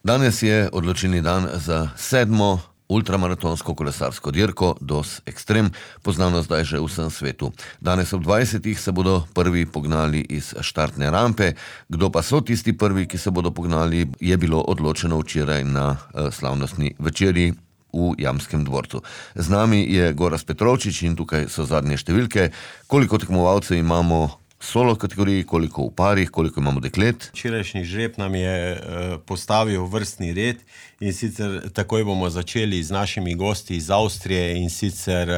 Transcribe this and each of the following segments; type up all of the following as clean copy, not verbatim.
Danes je odločilni dan za 7. ultramaratonsko kolesarsko dirko DOS Extreme, poznano zdaj že v vsem svetu. Danes ob 20. se bodo prvi pognali iz štartne rampe. Kdo pa so tisti prvi, ki se bodo pognali, je bilo odločeno včeraj na slavnostni večerji v Jamskem dvorcu. Z nami je Gorazd Petrovčič in tukaj so zadnje številke. Koliko tekmovalcev imamo solo kategoriji, koliko v parih, koliko imamo deklet? Včerajšnji žreb nam je postavil vrstni red in sicer takoj bomo začeli z našimi gosti iz Avstrije in sicer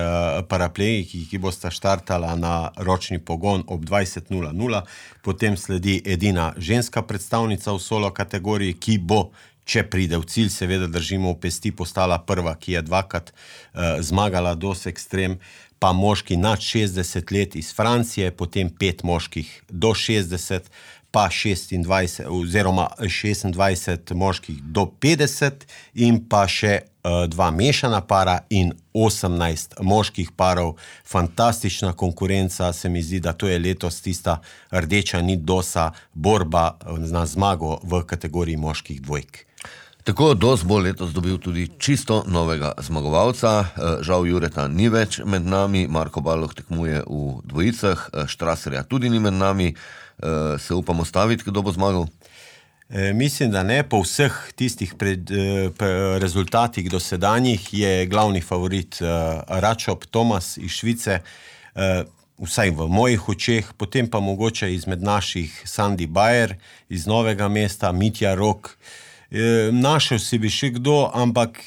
paraplejiki, ki bosta štartala na ročni pogon ob 20:00. Potem sledi edina ženska predstavnica v solo kategoriji, ki bo, če pride v cilj, seveda držimo v pesti, postala prva, ki je dvakrat zmagala DOS Extreme, pa moški nad 60 let iz Francije, potem 5 moških do 60, pa 26 oziroma 26 moških do 50 in pa še 2 mešana para in 18 moških parov. Fantastična konkurenca, se mi zdi, da to je letos tista rdeča nit DOS-a, borba na zmago v kategoriji moških dvojk. Tako DOS bo letos dobil tudi čisto novega zmagovalca. Žal Jureta ni več med nami, Marko Baloh tekmuje v dvojicah, Štraserja tudi ni med nami. Se upamo staviti, kdo bo zmagal? Mislim, da ne. Po vseh tistih rezultatih dosedanjih je glavni favorit Račop Tomas iz Švice, vsaj v mojih očeh, potem pa mogoče izmed naših Sandi Bayer iz Novega mesta, Mitja Rok. Našel si bi še kdo, ampak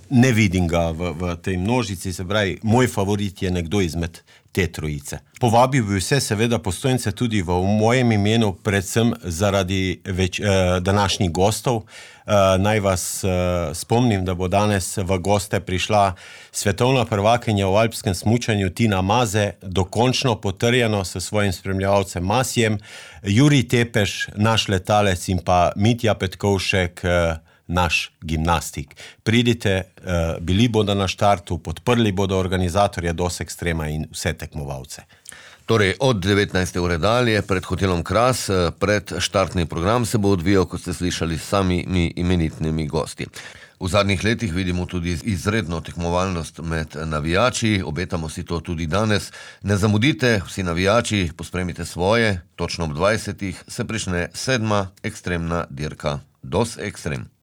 ne vidim ga v tej množici, se pravi, moj favorit je nekdo izmed te trojice. Povabil bi vse seveda postojence tudi v mojem imenu, predvsem zaradi današnjih gostov. Naj vas spomnim, da bo danes v goste prišla svetovna prvakinja v alpskem smučanju Tina Maze, dokončno potrjeno s svojim spremljevalcem Masjem, Jurij Tepeš, naš letalec, in pa Mitja Petkovšek, naš gimnastik. Pridite, bili bodo na štartu, podprli bodo organizatorje DOS Extrema in vse tekmovalce. Torej, od 19. ure dalje, pred hotelom Kras, pred štartni program se bo odvijal, kot ste slišali, s samimi imenitnimi gosti. V zadnjih letih vidimo tudi izredno tekmovalnost med navijači, obetamo si to tudi danes. Ne zamudite, vsi navijači, pospremite svoje, točno ob 20. se prične 7. ekstremna dirka DOS Extreme.